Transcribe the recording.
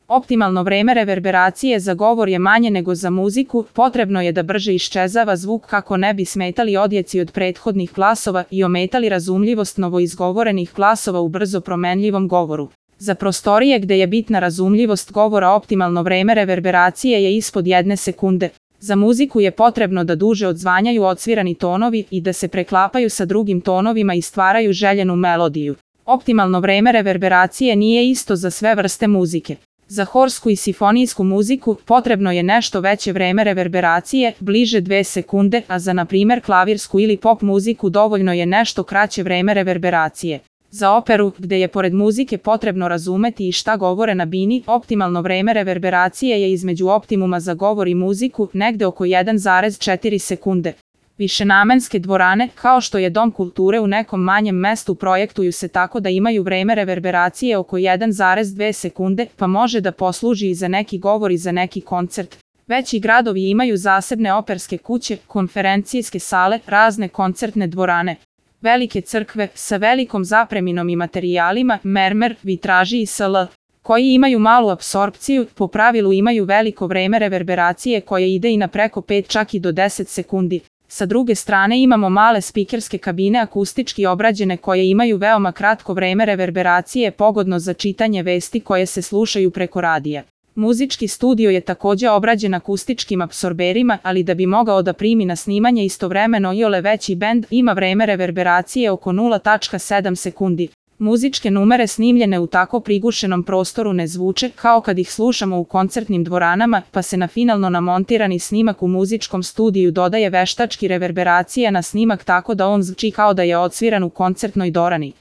Optimalno vreme reverberacije za govor je manje nego za muziku, potrebno je da brže iščezava zvuk kako ne bi smetali odjeci od prethodnih glasova i ometali razumljivost novoizgovorenih glasova u brzo promenljivom govoru. Za prostorije gde je bitna razumljivost govora optimalno vreme reverberacije je ispod 1 sekunde. Za muziku je potrebno da duže odzvanjaju odsvirani tonovi i da se preklapaju sa drugim tonovima i stvaraju željenu melodiju. Optimalno vreme reverberacije nije isto za sve vrste muzike. Za horsku i simfonijsku muziku potrebno je nešto veće vreme reverberacije, bliže 2 sekunde, a za na primjer klavirsku ili pop muziku dovoljno je nešto kraće vreme reverberacije. Za operu, gde je pored muzike potrebno razumeti i šta govore na bini, optimalno vreme reverberacije je između optimuma za govor i muziku, negde oko 1,4 sekunde. Višenamenske dvorane, kao što je Dom kulture u nekom manjem mestu, projektuju se tako da imaju vreme reverberacije oko 1,2 sekunde, pa može da posluži i za neki govor i za neki koncert. Veći gradovi imaju zasebne operske kuće, konferencijske sale, razne koncertne dvorane. Velike crkve, sa velikom zapreminom i materijalima, mermer, vitraži i sl. koji imaju malu apsorpciju, po pravilu imaju veliko vreme reverberacije koje ide i na preko 5 čak i do 10 sekundi. Sa druge strane imamo male spikerske kabine akustički obrađene koje imaju veoma kratko vreme reverberacije pogodno za čitanje vesti koje se slušaju preko radija. Muzički studio je takođe obrađen akustičkim apsorberima, ali da bi mogao da primi na snimanje istovremeno iole veći bend, ima vreme reverberacije oko 0,7 sekundi. Muzičke numere snimljene u tako prigušenom prostoru ne zvuče kao kad ih slušamo u koncertnim dvoranama, pa se na finalno namontirani snimak u muzičkom studiju dodaje veštački reverberacija na snimak tako da on zvuči kao da je odsviran u koncertnoj dvorani.